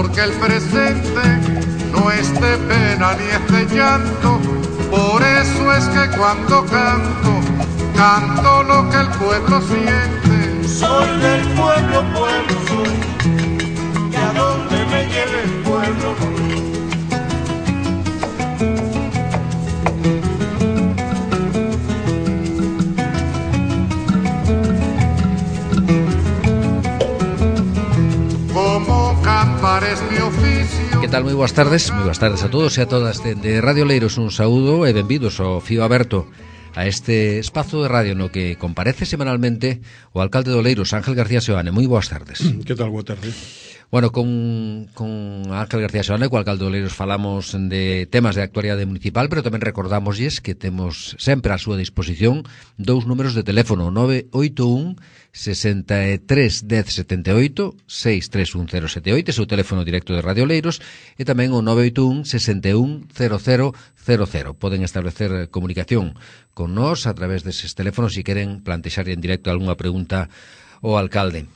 porque el presente no es de pena ni es de llanto. Por eso es que cuando canto, canto lo que el pueblo siente. Soy del pueblo, pueblo soy, y a donde me lleve el pueblo voy. Como cantar es mi oficio. Que tal? Moi boas tardes a todos e a todas de Radio Leiros. Un saúdo e benvidos ao Fío Aberto, a este espazo de radio no que comparece semanalmente o alcalde do Leiros, Ángel García Seoane. Moi boas tardes. Que tal? Boa tarde. Bueno, con Ángel García Seoane, co alcalde do Leiros, falamos de temas de actualidade municipal, pero tamén recordámoslles que temos sempre á súa disposición dous números de teléfono: 981 63 10 78, 631078, seu teléfono directo de Radio Leiros, e tamén o 981 61 0000. Poden establecer comunicación con nós a través deses teléfonos se queren plantexar en directo algunha pregunta ao alcalde.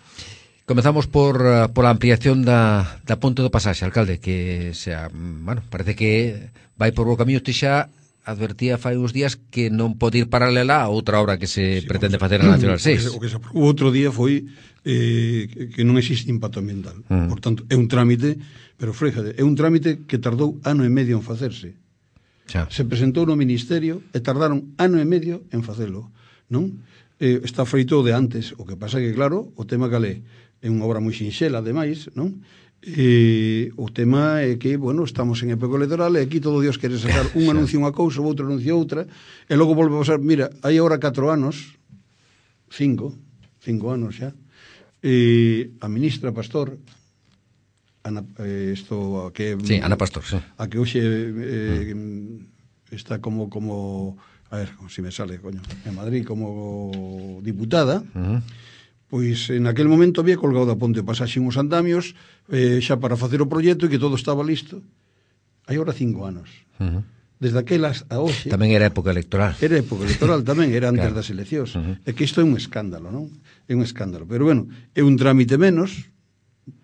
Comezamos por a ampliación da ponte do pasaxe, alcalde, que xa, bueno, parece que vai por bo camiño. Ti xa advertía fai uns días que non pode ir paralela a outra obra que se pretende facer na Nacional 6. O que se aprobou outro día foi que non existe impacto ambiental. Por tanto, é un trámite, pero fréjade, é un trámite que tardou ano e medio en facerse. Xa. Se presentou no Ministerio e tardaron ano e medio en facelo, non? Está feito de antes, o que pasa que, claro, o tema calé é unha obra moi sinxela, ademais, non? O tema é que, bueno, estamos en época electoral e aquí todo Dios quere sacar un anuncio unha cousa, outro anuncio outra, e logo volve a pasar. Mira, hai agora 4 anos, 5 anos xa, a ministra Pastor, Ana, Ana Pastor, sí. A que hoxe está como a ver, si me sale, coño, en Madrid como diputada. Pois en aquel momento había colgado da ponte de pasaxe uns andamios xa para facer o proxecto e que todo estaba listo. Hai ahora 5 anos. Desde aquelas a hoxe. Tamén era época electoral. Era época electoral tamén, era antes claro. Das eleccións. É que isto é un escándalo, non? É un escándalo. Pero bueno, é un trámite menos.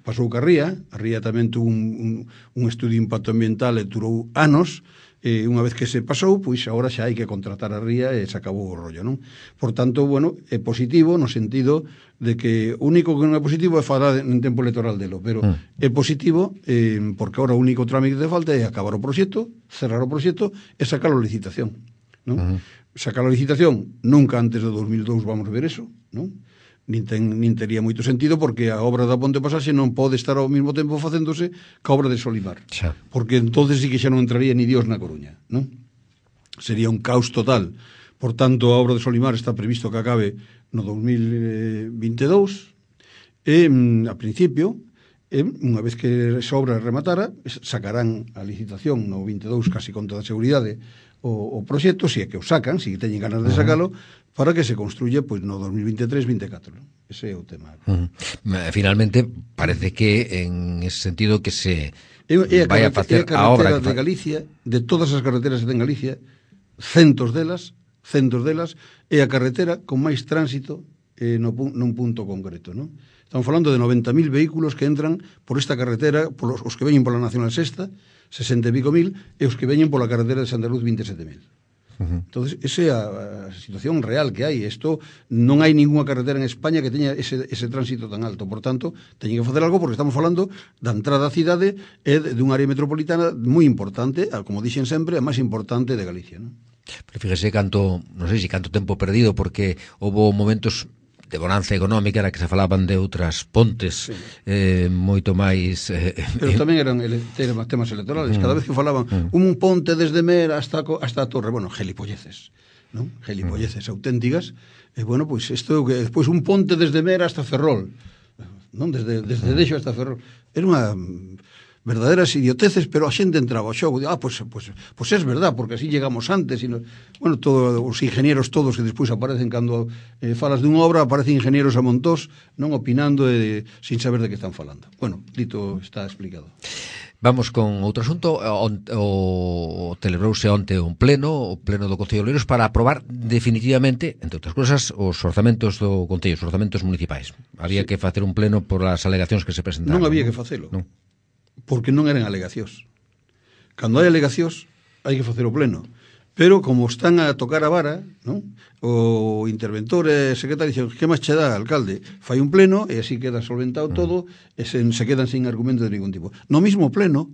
Pasou que a Ría tamén tuvo un estudio de impacto ambiental e durou anos. Unha vez que se pasou, pois agora xa hai que contratar a Ría e se acabou o rollo, non? Por tanto, bueno, é positivo no sentido de que o único que non é positivo é falar en tempo electoral delo, pero é positivo porque agora o único trámite que falta é acabar o proxecto, cerrar o proxecto e sacar a licitación, non? Sacar a licitación nunca antes do 2002 vamos ver eso, non? Nin tería moito sentido porque a obra da ponte de pasaxe non pode estar ao mesmo tempo facéndose ca obra de Solimar, xa. Porque entonces sí que xa non entraría ni Dios na Coruña, non? Sería un caos total. Por tanto, a obra de Solimar está previsto que acabe no 2022 e a principio, unha vez que esa obra rematara, sacarán a licitación no 22 casi con toda a seguridade o proxecto, se é que o sacan, se teñen ganas de sacalo, para que se construya pois no 2023-24. Ese é o tema. Finalmente, parece que en ese sentido que se vai a facer a obra de Galicia, de todas as carreteras que ten Galicia, centos delas, é a carretera con máis tránsito nun punto concreto, non? Estamos falando de 90.000 vehículos que entran por esta carretera, os que veñen pola Nacional Sexta, 60 e pico mil, e os que veñen pola carretera de Santa Luz, 27.000. Entonces, esa é a situación real que hai. Isto non hai ninguna carretera en España que teña ese tránsito tan alto. Por tanto, teñen que facer algo porque estamos falando da entrada á cidade e dunha área metropolitana moi importante, como dixen sempre, a máis importante de Galicia, non? Pero fíjese canto tempo perdido, porque houve momentos de bonanza económica na que se falaban de outras pontes, moito máis... Pero tamén eran temas electorales. Cada vez que falaban un ponte desde Mer hasta a Torre, bueno, gelipolleces, non? Gelipolleces auténticas. E, bueno, pois isto é que despois un ponte desde Mer hasta Ferrol, non? Desde Dexo hasta Ferrol. Era unha verdaderas idioteces, pero a xente entraba ao xogo, pois é verdad, porque así llegamos antes, bueno, todos os ingenieros todos que despois aparecen cando falas dunha obra, aparecen ingenieros a montós, non opinando sin saber de que están falando. Bueno, dito está explicado. Vamos con outro asunto. Celebrouse onte o pleno do Concello de Oleiros para aprobar definitivamente, entre outras cousas, os orzamentos do Concello, os orzamentos municipais. Había que facer un pleno por as alegacións que se presentaron. Non había que facelo. Non. porque non eran alegacións. Cando hai alegacións, hai que facer o pleno. Pero como están a tocar a vara, non? O interventor e secretario dixen, que máis che dá, alcalde? Fai un pleno e así queda solventado todo e se quedan sin argumento de ningún tipo. No mismo pleno,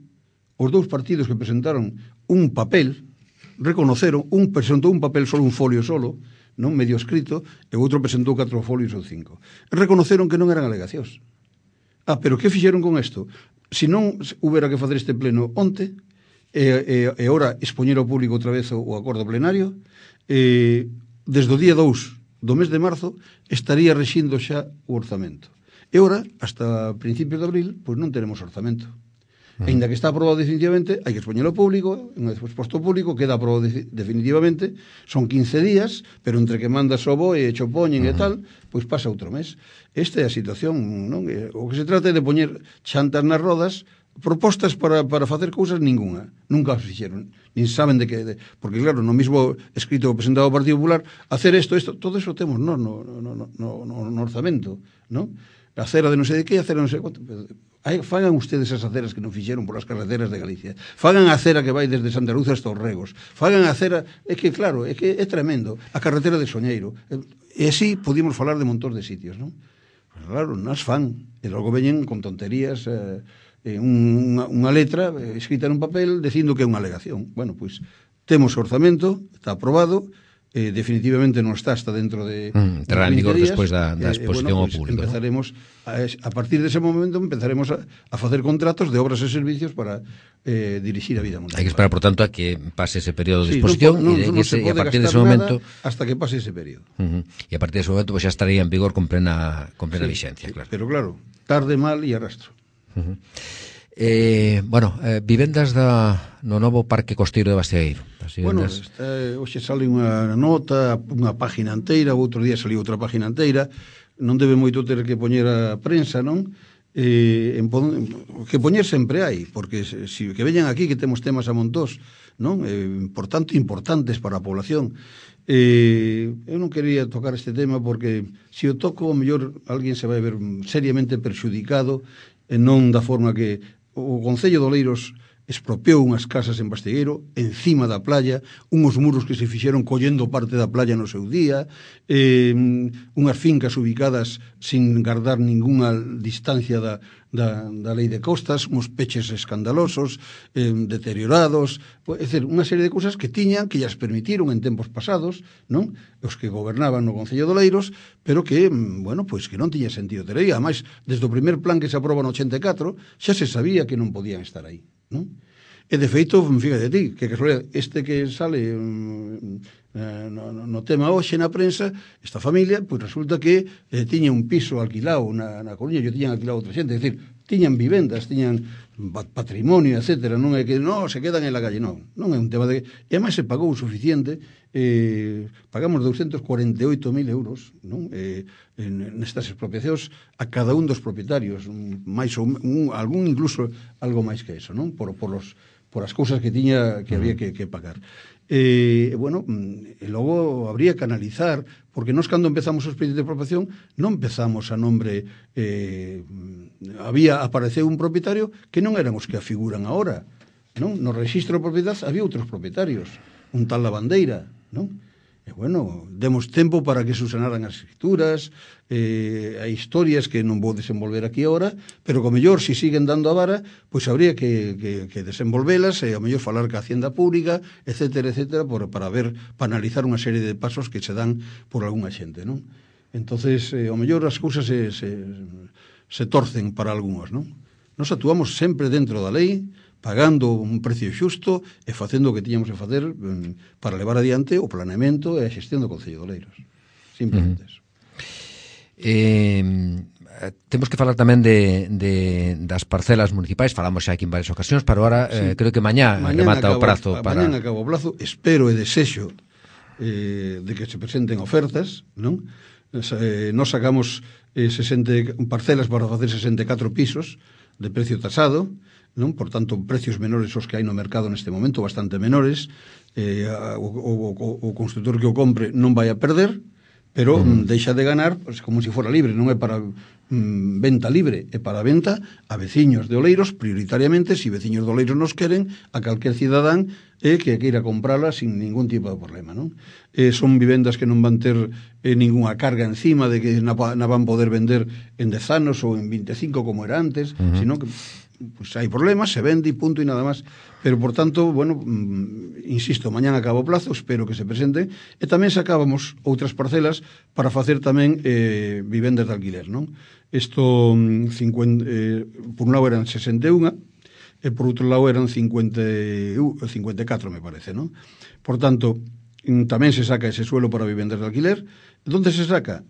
os dous partidos que presentaron un papel, reconoceron, un presentou un papel solo, un folio solo, non medio escrito, e o outro presentou 4 folios ou 5. Reconoceron que non eran alegacións. Pero que fixeron con isto? Se non houbera que facer este pleno onte, e ora expoñer ao público outra vez o acordo plenario, desde o día 2 do mes de marzo estaría rexindo xa o orzamento. E ora, hasta principios de abril, pois non teremos orzamento. Ainda que está aprobado definitivamente, hai que expoñelo ao público, unha vez exposto ao público, queda aprobado definitivamente, son 15 días, pero entre que mandas o BOE e cho poñen e tal, pois pasa outro mes. Esta é a situación, non? O que se trata é de poñer chantas nas rodas, propostas para facer cousas ninguna, nunca as fixeron, nin saben de que, porque claro, no mismo escrito presentado ao Partido Popular, hacer isto, todo eso temos no orzamento, non? A cera de non sei de que, a cera non sei quanto. Fagan ustedes as aceras que non fixeron por as carreteras de Galicia. Fagan a cera que vai desde Santa Luz hasta os Regos. Fagan a cera, é que claro, é que é tremendo, a carretera de Soñeiro. E así podíamos falar de montón de sitios, non? Pues claro, nas fan, e logo veñen con tonterías, unha letra escrita nun papel dicindo que é unha alegación. Bueno, pois temos orzamento, está aprobado, definitivamente non está hasta dentro de entrará en vigor despois da exposición ao público. Empezaremos a partir dese momento empezaremos a facer contratos de obras e servicios para dirixir a vida municipal. Hai que esperar, por tanto, a que pase ese período de exposición e a partir dese momento hasta que pase ese período. E a partir dese momento xa estaría en vigor con plena vixencia, claro. Pero claro, tarde, mal e arrastro. Vivendas no novo Parque Costeiro de Bastegueiro. Bueno, hoxe sale unha nota, unha página inteira, o outro día saliu outra página inteira, non debe moito ter que poñer a prensa, non? Que poñer sempre hai, porque que veñan aquí que temos temas a montós, non? Importantes para a población. Eu non quería tocar este tema porque se o toco, o mellor alguén se vai ver seriamente perxudicado, e non da forma que o Concello de Oleiros expropiou unhas casas en Bastegueiro encima da playa, unhos muros que se fixeron collendo parte da playa no seu día, unhas fincas ubicadas sin guardar ningunha distancia da lei de costas, uns peches escandalosos, deteriorados, é dicir, unha serie de cousas que tiñan, que llas permitiron en tempos pasados, non? Os que gobernaban no Concello de Oleiros, pero que, bueno, pois que non tiña sentido ter aí. Ademais, desde o primer plan que se aproba no 84, xa se sabía que non podían estar aí, non? E de feito, fíjate ti, que este que sale no tema hoxe na prensa, esta familia, pois resulta que tiña un piso alquilado na Coruña, yo tiñan alquilado outra xente, é dicir, tiñan vivendas, tiñan patrimonio, etcétera, non é que se quedan en la calle, non é un tema de... E ademais se pagou o suficiente, pagamos 248.000 euros, non? Nestas expropiacións a cada un dos propietarios, máis ou algún incluso algo máis que eso, non? Por as cousas que tiña que había que pagar. E logo habría que analizar, porque nós cando empezamos o expediente de expropiación non empezamos a nombre, apareceu un propietario que non eran os que afiguran agora, non? No registro de propiedade había outros propietarios, un tal Lavandeira, non? E demos tempo para que subsanaran as escrituras, hai historias que non vou desenvolver aquí agora, pero co mellor, se siguen dando a vara, pois habría que desenvolvelas e ao mellor falar ca Hacienda Pública, etcétera, para analizar unha serie de pasos que se dan por algunha xente, non? Entonces, ao mellor as cousas se torcen para algúns, non? Nos actuamos sempre dentro da lei, pagando un precio xusto e facendo o que tiñamos que facer para levar adiante o planeamento e a xestión do Concello de Oleiros. Simplemente eso. Temos que falar tamén das parcelas municipais, falamos xa aquí en varias ocasións, pero ahora creo que mañá remata o prazo. Mañá acaba o prazo, espero e desexo de que se presenten ofertas, non? Nos sacamos parcelas para facer 64 pisos de precio tasado, non? Por tanto, precios menores os que hai no mercado neste momento, bastante menores, o constructor que o compre non vai a perder, pero deixa de ganar pues, como se fora libre, non é para venta libre, é para venta a veciños de Oleiros, prioritariamente, se veciños de Oleiros nos queren, a calquer cidadán que queira comprala sin ningún tipo de problema, non? Son vivendas que non van ter ninguna carga encima de que na van poder vender en 10 anos ou en 25 como era antes, sino que pues hai problemas, se vende e punto e nada máis. Pero, por tanto, bueno, insisto, mañán acaba o plazo, espero que se presenten, e tamén sacábamos outras parcelas para facer tamén vivendas de alquiler, non? Isto, por un lado eran 61, e por outro lado eran 54, me parece, non? Por tanto, tamén se saca ese suelo para vivendas de alquiler. Donde se saca?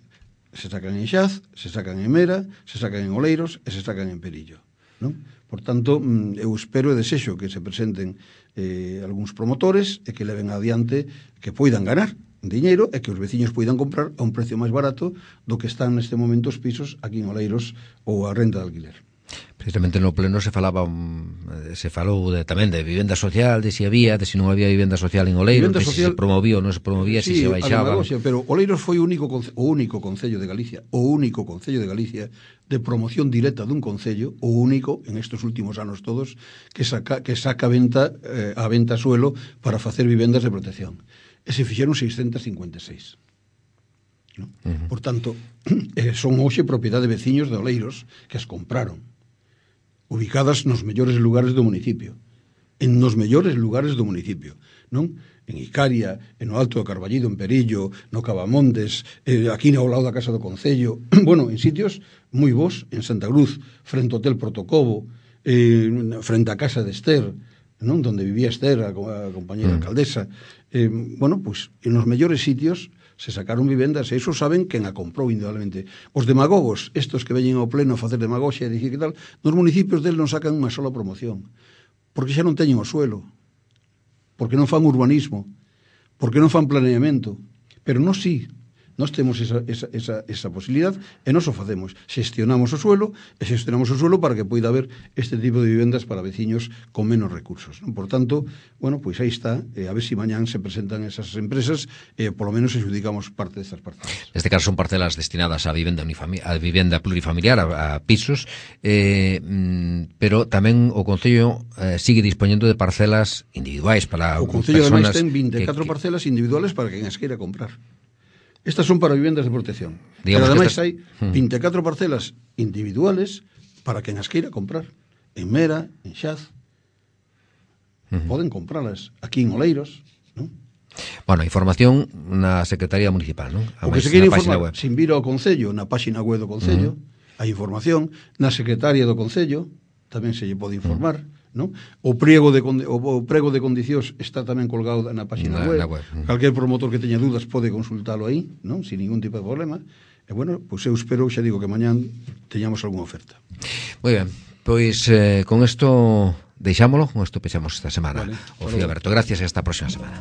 Se sacan en Xaz, se sacan en Mera, se sacan en Oleiros e se sacan en Perillo, non? Por tanto, eu espero e desexo que se presenten algúns promotores e que leven adiante que poidan ganar diñeiro e que os veciños poidan comprar a un precio máis barato do que están neste momento os pisos aquí en Oleiros ou a renta de alquiler. Precisamente no pleno se falou tamén de vivenda social, de se había, de se non había vivenda social en Oleiros, de se promovía ou non se promovía, sí, se baixaba. Pero Oleiros foi o único concello de Galicia, de promoción directa dun concello, o único en estes últimos anos todos que saca a venta suelo para facer vivendas de protección. E se fixeron 656. ¿No? Por tanto, son hoxe propiedade de veciños de Oleiros que as compraron, ubicadas nos mellores lugares do municipio, non? En Icaria, en o Alto do Carballido, en Perillo, no Cavamontes, aquí ao lado da Casa do Concello, bueno, en sitios moi bons, en Santa Cruz, frente ao Hotel Protocobo, frente á Casa de Ester, non? Donde vivía Ester, a compañera alcaldesa, bueno, pues, en os mellores sitios se sacaron vivendas, e iso saben quen a comprou indudablemente. Os demagogos, estos que veñen ao pleno a facer demagoxia e dicir que tal, nos municipios del non sacan unha sola promoción, porque xa non teñen o suelo, porque non fan urbanismo, porque non fan planeamento, pero nós sí, nós temos esa posibilidad e nós o facemos, xestionamos o suelo para que poida haber este tipo de vivendas para veciños con menos recursos, non? Por tanto, bueno, pois aí está, a ver se mañán se presentan esas empresas e polo menos adjudicamos parte destas parcelas. Neste caso son parcelas destinadas a vivenda plurifamiliar, a pisos, pero tamén o Concello sigue dispoñendo de parcelas individuais para o Concello personas. O Concello ademais ten 24 parcelas individuales para quen as queira comprar. Estas son para vivendas de protección. Digamos, pero ademais hai 24 parcelas individuales para quen as queira comprar. En Mera, en Xaz. Poden compralas aquí en Oleiros, non? Bueno, información na Secretaría Municipal, non? O que se queira informar, sin vir ao Concello, na páxina web do Concello, hai información, na Secretaría do Concello, tamén se lle pode informar, non? O prego de condicións está tamén colgado na páxina web. Calquer promotor que teña dúdas pode consultalo aí, non? Sin ningún tipo de problema. E bueno, pois eu espero, xa digo, que mañán teñamos algunha oferta. Moi ben, pois con isto deixámolo, con isto pechamos esta semana. Vale, o Fío Aberto. Gracias e hasta a próxima semana.